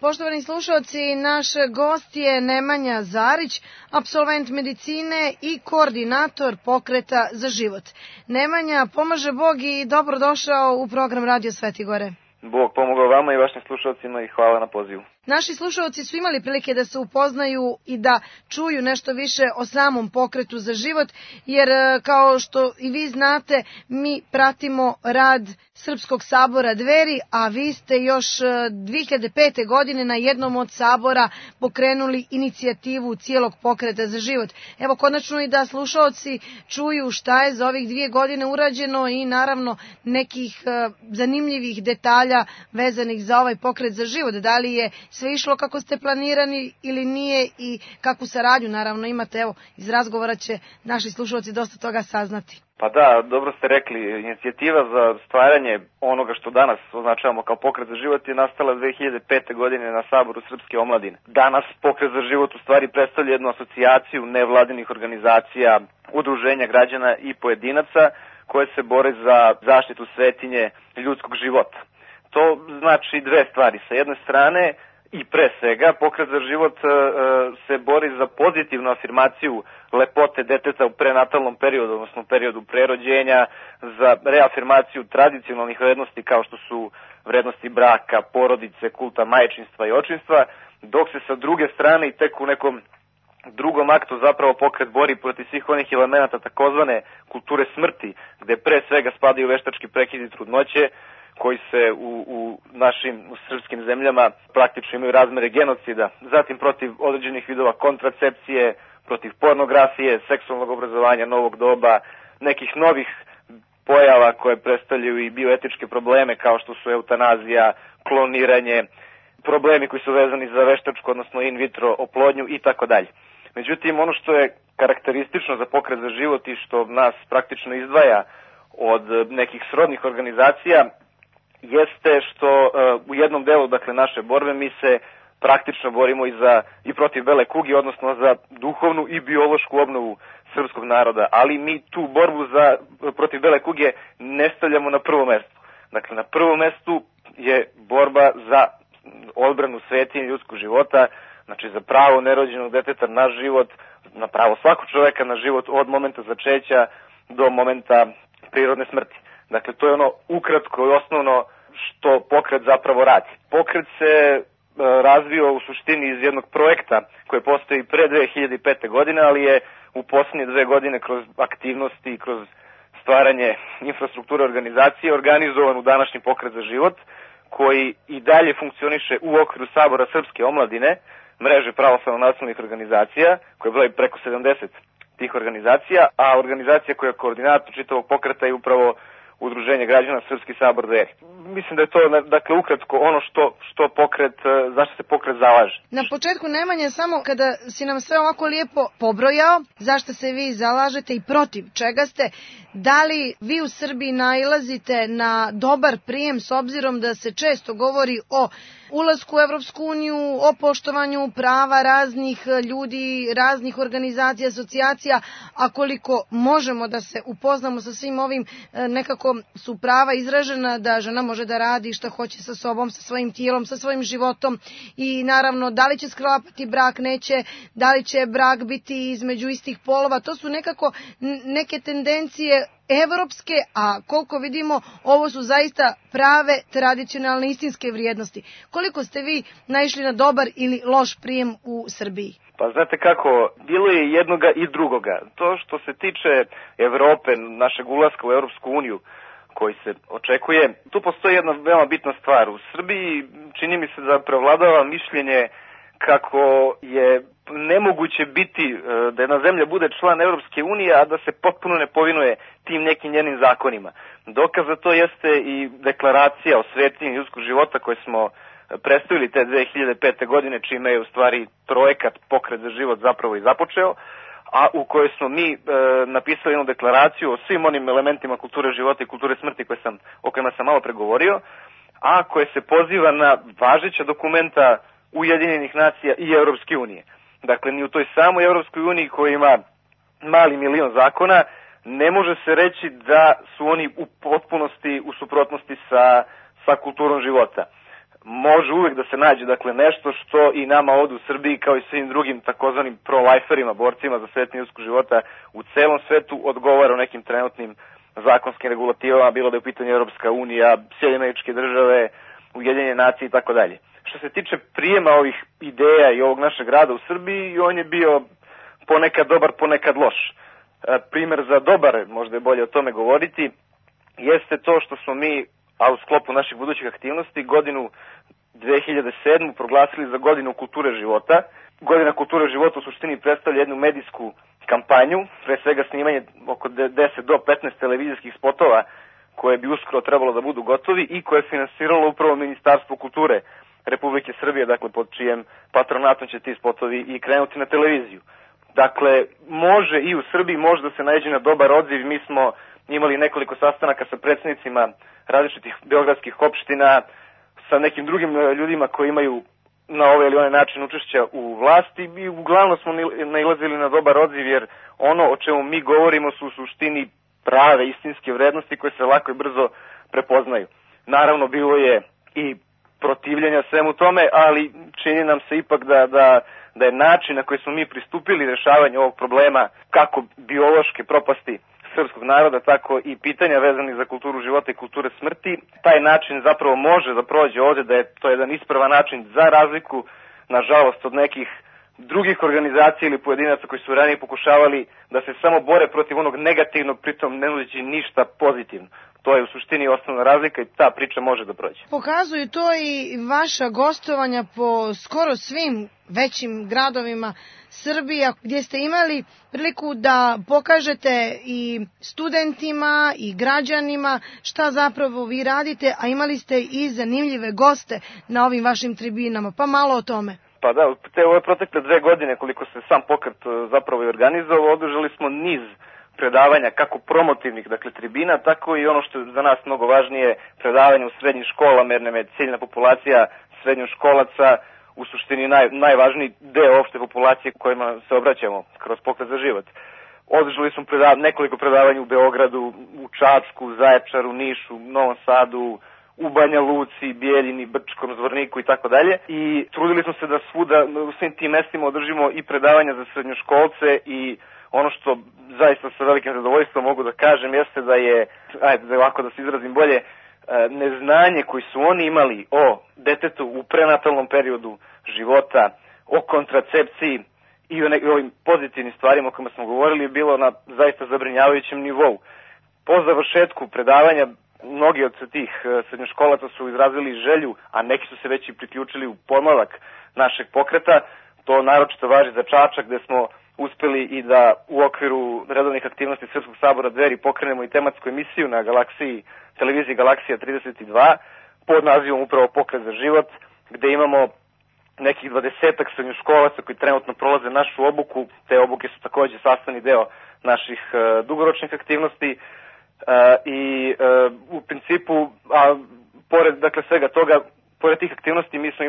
Poštovani slušalci, naš gost je Nemanja Zarić, apsolvent medicine i koordinator Pokreta za život. Nemanja, pomaže Bog i dobrodošao u program Radio Svetigore. Bog pomogao vama i vašim slušalcima i hvala na pozivu. Naši slušalci su imali prilike da se upoznaju i da čuju nešto više o samom Pokretu za život, jer kao što i vi znate, mi pratimo rad Srpskog sabora Dveri, a vi ste još 2005. godine na jednom od sabora pokrenuli inicijativu cijelog Pokreta za život. Evo, konačno i da slušalci čuju šta je za ovih 2 godine urađeno i naravno nekih zanimljivih detalja vezanih za ovaj Pokret za život. Da li je sve išlo kako ste planirani ili nije i kakvu saradnju naravno imate, evo, iz razgovora će naši slušalci dosta toga saznati. Pa da, dobro ste rekli, inicijativa za stvaranje onoga što danas označavamo kao Pokret za život je nastala 2005. godine na Saboru Srpske omladine. Danas Pokret za život u stvari predstavlja jednu asocijaciju nevladinih organizacija, udruženja građana i pojedinaca koje se bore za zaštitu svetinje ljudskog života. To znači 2 stvari. Sa jedne strane, i pre svega, Pokret za život se bori za pozitivnu afirmaciju lepote deteta u prenatalnom periodu, odnosno periodu prerođenja, za reafirmaciju tradicionalnih vrednosti kao što su vrednosti braka, porodice, kulta majčinstva i očinstva, dok se sa druge strane i tek u nekom drugom aktu zapravo Pokret bori protiv svih onih elemenata takozvane kulture smrti, gde pre svega spadaju veštački prekidi trudnoće, koji se u našim srpskim zemljama praktično imaju razmere genocida, zatim protiv određenih vidova kontracepcije, protiv pornografije, seksualnog obrazovanja novog doba, nekih novih pojava koje predstavljaju i bioetičke probleme kao što su eutanazija, kloniranje, problemi koji su vezani za veštačku, odnosno in vitro oplodnju i tako dalje. Međutim, ono što je karakteristično za Pokret za život i što nas praktično izdvaja od nekih srodnih organizacija jeste što u jednom delu, dakle, naše borbe mi se praktično borimo i protiv bele kuge, odnosno za duhovnu i biološku obnovu srpskog naroda, ali mi tu borbu protiv bele kuge ne stavljamo na prvo mesto. Dakle, na prvom mestu je borba za odbranu svetinje ljudskog života, znači za pravo nerođenog deteta na život, na pravo svakog čoveka na život od momenta začeća do momenta prirodne smrti. Dakle, to je ono ukratko i osnovno što Pokret zapravo radi. Pokret se razvio u suštini iz jednog projekta koji postoji pre 2005. godine, ali je u posljednje 2 godine kroz aktivnosti i kroz stvaranje infrastrukture organizacije organizovan u današnji Pokret za život, koji i dalje funkcioniše u okviru Sabora Srpske omladine, mreže pravoslavno-nacionalnih organizacija, koje broji preko 70 tih organizacija, a organizacija koja je koordinator čitavog pokreta je upravo Udruženje građana Srpski sabor Dveri. Mislim da je to, dakle, ukratko ono što Pokret, zašto se Pokret zalaže. Na početku, Nemanja, samo kada si nam sve ovako lijepo pobrojao, zašto se vi zalažete i protiv čega ste, da li vi u Srbiji nailazite na dobar prijem s obzirom da se često govori o ulasku u Evropsku uniju, o poštovanju prava raznih ljudi, raznih organizacija, asocijacija, a koliko možemo da se upoznamo sa svim ovim, nekako su prava izražena da žena može da radi šta hoće sa sobom, sa svojim tijelom, sa svojim životom i naravno da li će sklapati brak, neće, da li će brak biti između istih polova, to su nekako neke tendencije evropske, a koliko vidimo ovo su zaista prave tradicionalne istinske vrijednosti. Koliko ste vi naišli na dobar ili loš prijem u Srbiji? Pa znate kako, bilo je jednoga i drugoga. To što se tiče Evrope, našeg ulaska u Europsku uniju koji se očekuje, tu postoji jedna veoma bitna stvar. U Srbiji čini mi se da prevladava mišljenje kako je nemoguće biti da jedna zemlja bude član Europske unije, a da se potpuno ne povinuje tim nekim njenim zakonima. Dokaz za to jeste i deklaracija o svetinji ljudskog života koju smo predstavili te 2005. godine, čime je u stvari projekat Pokret za život zapravo i započeo, a u kojoj smo mi napisali jednu deklaraciju o svim onim elementima kulture života i kulture smrti o kojima sam malo pregovorio, a koje se poziva na važeća dokumenta Ujedinjenih nacija i Europske unije. Dakle, ni u toj samoj Europskoj uniji koja ima mali milion zakona, ne može se reći da su oni u potpunosti u suprotnosti sa kulturom života. može uvek da se nađe dakle nešto što i nama ovde u Srbiji kao i svim drugim takozvanim pro-liferima, borcima za svetni ljudskog života u celom svetu odgovara o nekim trenutnim zakonskim regulativama, bilo da je u pitanju Europska unija, Sjedinjene Američke Države, Ujedinjene nacije i tako dalje. Što se tiče prijema ovih ideja i ovog našeg rada u Srbiji, on je bio ponekad dobar, ponekad loš. Primer za dobar, možda je bolje o tome govoriti, jeste to što smo mi, a u sklopu naših budućih aktivnosti, godinu 2007. proglasili za godinu kulture života. Godina kulture života u suštini predstavlja jednu medijsku kampanju, pre svega snimanje oko 10 do 15 televizijskih spotova koje bi uskoro trebalo da budu gotovi i koje je finansiralo upravo Ministarstvo kulture Republike Srbije, dakle pod čijem patronatom će ti spotovi i krenuti na televiziju. Dakle, može i u Srbiji može da se naiđe na dobar odziv. Mi smo imali nekoliko sastanaka sa predsednicima različitih beogradskih opština, sa nekim drugim ljudima koji imaju na ovaj ili onaj način učešća u vlasti i uglavnom smo nailazili na dobar odziv, jer ono o čemu mi govorimo su u suštini prave, istinske vrednosti koje se lako i brzo prepoznaju. Naravno, bilo je i protivljenja svemu tome, ali čini nam se ipak da je način na koji smo mi pristupili rešavanju ovog problema, kako biološke propasti srpskog naroda, tako i pitanja vezanih za kulturu života i kulture smrti, taj način zapravo može da prođe ovde, da je to jedan ispravan način za razliku, nažalost, od nekih drugih organizacija ili pojedinaca koji su ranije pokušavali da se samo bore protiv onog negativnog, pritom ne nudeći ništa pozitivno. To je u suštini osnovna razlika i ta priča može da prođe. Pokazuju to i vaša gostovanja po skoro svim većim gradovima Srbije, gdje ste imali priliku da pokažete i studentima i građanima šta zapravo vi radite, a imali ste i zanimljive goste na ovim vašim tribinama. Pa malo o tome. Pa da, te ove protekle 2 godine koliko se sam pokret zapravo i organizovao, održali smo niz predavanja, kako promotivnih, dakle tribina, tako i ono što je za nas mnogo važnije, predavanja u srednjim školama, jer nam je ciljna populacija srednjoškolaca u suštini najvažniji deo opšte populacije kojima se obraćamo kroz pokret za život. Održali smo nekoliko predavanja u Beogradu, u Čačku, Zaječaru, Nišu, Novom Sadu, u Banja Luci, Bijeljini, Brčkom, Zvorniku i tako dalje. I trudili smo se da svuda u svim tim mestima održimo i predavanja za srednjoškolce i ono što zaista sa velikim zadovoljstvom mogu da kažem jeste da je, ovako da se izrazim bolje, neznanje koji su oni imali o detetu u prenatalnom periodu života, o kontracepciji i o ovim pozitivnim stvarima o kojima smo govorili je bilo na zaista zabrinjavajućem nivou. Po završetku predavanja mnogi od tih srednjoškolaca su izrazili želju, a neki su se već i priključili u pomlavak našeg pokreta. To naročito važi za Čačak, gde smo uspeli i da u okviru redovnih aktivnosti Srpskog sabora Dveri pokrenemo i tematsku emisiju na televiziji Galaksija 32 pod nazivom upravo Pokret za život, gde imamo nekih 20-ak srednjoškolaca koji trenutno prolaze našu obuku. Te obuke su takođe sastavni deo naših dugoročnih aktivnosti i u principu, pored dakle svega toga, pored tih aktivnosti mi smo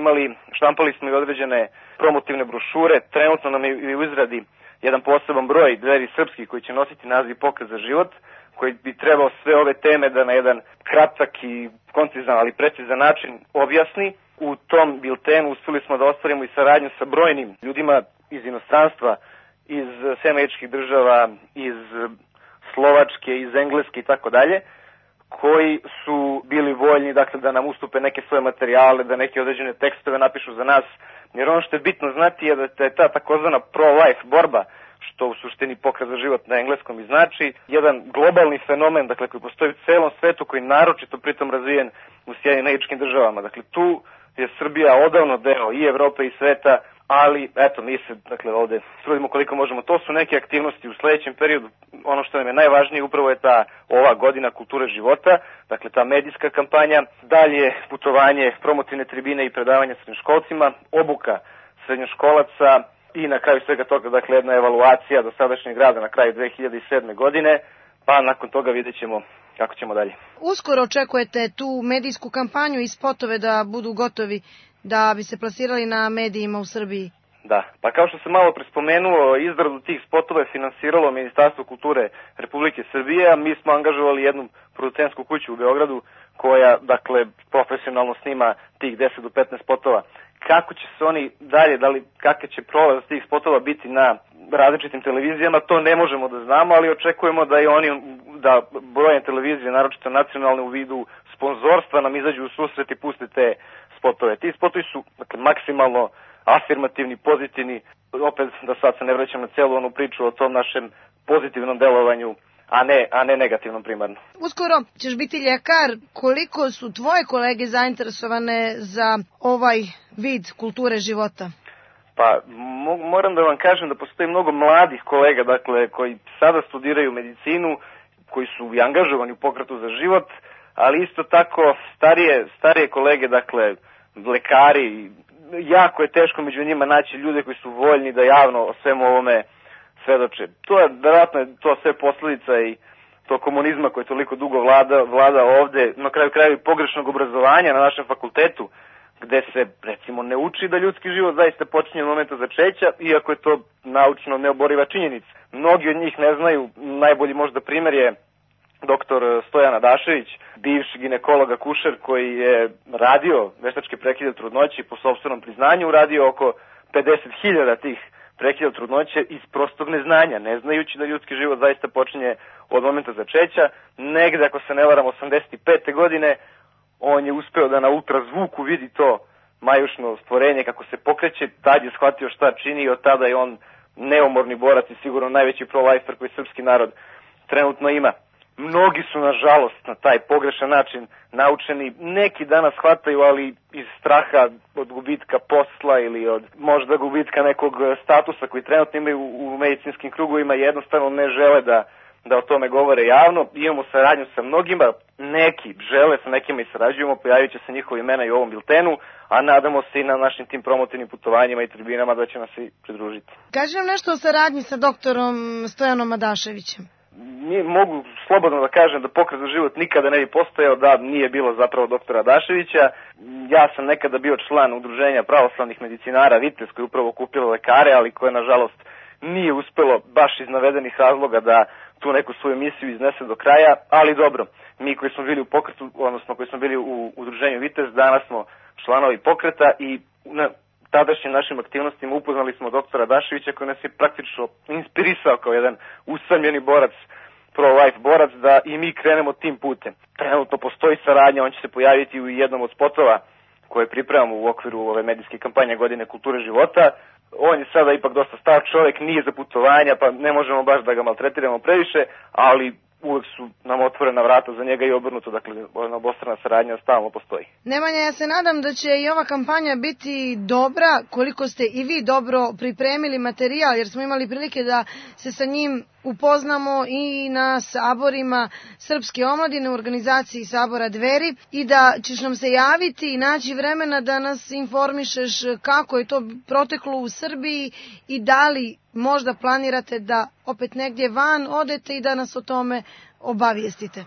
štampali smo i određene promotivne brošure. Trenutno nam je u izradi jedan poseban broj Dveri srpskih koji će nositi naziv Pokret za život, koji bi trebao sve ove teme da na jedan kratak i koncizan, ali precizan način objasni. U tom biltenu uspeli smo da ostvarimo i saradnju sa brojnim ljudima iz inostranstva, iz Američkih država, iz Slovačke, iz Engleske i tako dalje, koji su bili voljni dakle da nam ustupe neke svoje materijale, da neke određene tekstove napišu za nas, jer ono što je bitno znati je da je ta takozvana pro-life borba, što u suštini Pokret za život na engleskom i znači, jedan globalni fenomen, dakle koji postoji u celom svetu, koji naročito pritom razvijen u Sjedinjenim Američkim Državama. Dakle tu je Srbija odavno deo i Evrope i sveta, ali eto mi se dakle ovde trudimo koliko možemo. To su neke aktivnosti u sledećem periodu. Ono što nam je najvažnije upravo je ova godina kulture života, dakle ta medijska kampanja, dalje putovanje, promotivne tribine i predavanja srednjoškolcima, obuka srednjoškolaca i na kraju svega toga dakle jedna evaluacija dosadašnjeg rada na kraju 2007. godine, pa nakon toga vidjet ćemo kako ćemo dalje. Uskoro očekujete tu medijsku kampanju i spotove da budu gotovi da bi se plasirali na medijima u Srbiji? Da, pa kao što sam malo prespomenuo, izradu tih spotova je finansiralo Ministarstvo kulture Republike Srbije, a mi smo angažovali jednu producentsku kuću u Beogradu koja, dakle, profesionalno snima tih 10 do 15 spotova. Kako će se oni dalje, kakav će prolaz tih spotova biti na različitim televizijama, to ne možemo da znamo, ali očekujemo da i oni, da brojne televizije, naročito nacionalne u vidu sponzorstva, nam izađu u susret i puste te spotove. Ti spotovi su, dakle, maksimalno afirmativni, pozitivni, opet da sad se ne vraćam na celu onu priču o tom našem pozitivnom delovanju, a ne negativnom primarno. Uskoro ćeš biti ljekar. Koliko su tvoje kolege zainteresovane za ovaj vid kulture života? Pa moram da vam kažem da postoji mnogo mladih kolega, dakle, koji sada studiraju medicinu, koji su i angažovani u pokretu za život, ali isto tako starije kolege, dakle, lekari. Jako je teško među njima naći ljude koji su voljni da javno o svemu ovome svedoče. To je, verovatno je to sve posledica i to komunizma koji toliko dugo vlada ovde, na kraju krajeva i pogrešnog obrazovanja na našem fakultetu, gde se, recimo, ne uči da ljudski život zaista počinje od momenta začeća, iako je to naučno neoboriva činjenica. Mnogi od njih ne znaju, najbolji možda primer je doktor Stojan Adašević, bivši ginekolog akušer koji je radio veštačke prekide trudnoće i po sopstvenom priznanju uradio oko 50.000 tih prekida trudnoće iz prostog neznanja, ne znajući da ljudski život zaista počinje od momenta začeća. Negde, ako se ne varam, 85. godine, on je uspeo da na ultrazvuku vidi to majušno stvorenje kako se pokreće, tad je shvatio šta čini i od tada je on neumorni borac i sigurno najveći pro-lifer koji srpski narod trenutno ima. Mnogi su, nažalost, na taj pogrešan način naučeni. Neki danas shvataju, ali iz straha od gubitka posla ili od možda gubitka nekog statusa koji trenutno imaju u medicinskim krugovima, jednostavno ne žele da o tome govore javno. Imamo saradnju sa mnogima, neki žele, sa nekima i sarađujemo, pojavit će se njihova imena i u ovom biltenu, a nadamo se i na našim tim promotivnim putovanjima i tribinama da će nas i pridružiti. Kaži nam nešto o saradnji sa doktorom Stojanom Adaševićem. Mogu slobodno da kažem da pokret za život nikada ne bi postojao da nije bilo zapravo doktora Adaševića. Ja sam nekada bio član udruženja pravoslavnih medicinara Vitez, koji je upravo okupilo lekare, ali koje nažalost nije uspelo baš iz navedenih razloga da tu neku svoju misiju iznese do kraja, ali dobro, mi koji smo bili u pokretu, odnosno koji smo bili u udruženju Vitez, danas smo članovi pokreta i na tadašnjim našim aktivnostima upoznali smo doktora Adaševića koji nas je praktično inspirisao kao jedan usamljeni borac, pro-life borac, da i mi krenemo tim putem. Trenutno postoji saradnja, on će se pojaviti u jednom od spotova koje pripremamo u okviru ove medijske kampanje Godine kulture života. On je sada ipak dosta star čovjek, nije za putovanja, pa ne možemo baš da ga maltretiramo previše, ali uvek su nam otvorena vrata za njega i obrnuto, dakle, obostrana saradnja stalno postoji. Nemanja, ja se nadam da će i ova kampanja biti dobra, koliko ste i vi dobro pripremili materijal, jer smo imali prilike da se sa njim upoznamo i na saborima Srpske omladine u organizaciji Sabora Dveri i da ćeš nam se javiti i naći vremena da nas informišeš kako je to proteklo u Srbiji i da li možda planirate da opet negdje van odete i da nas o tome obavijestite.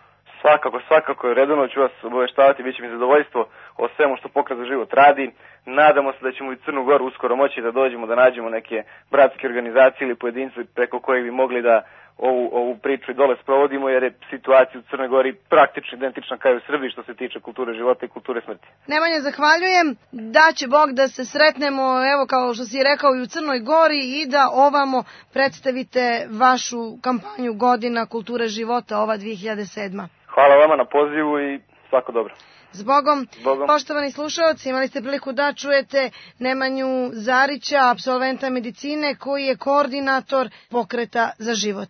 Svakako, redovno ću vas obaveštavati, bit će mi zadovoljstvo o svemu što pokret za život radi. Nadamo se da ćemo i Crnu Goru uskoro moći da dođemo, da nađemo neke bratske organizacije ili pojedince preko kojih bi mogli da ovu priču i dole sprovodimo, jer je situacija u Crnoj Gori praktično identična kao i u Srbiji što se tiče kulture života i kulture smrti. Nemanja, zahvaljujem. Da će Bog da se sretnemo, evo kao što si rekao, i u Crnoj Gori i da ovamo predstavite vašu kampanju Godina kulture života, ova 2007. Hvala vama na pozivu i svako dobro. Zbogom. Poštovani slušalci, imali ste priliku da čujete Nemanju Zarića, apsolventa medicine, koji je koordinator pokreta za život.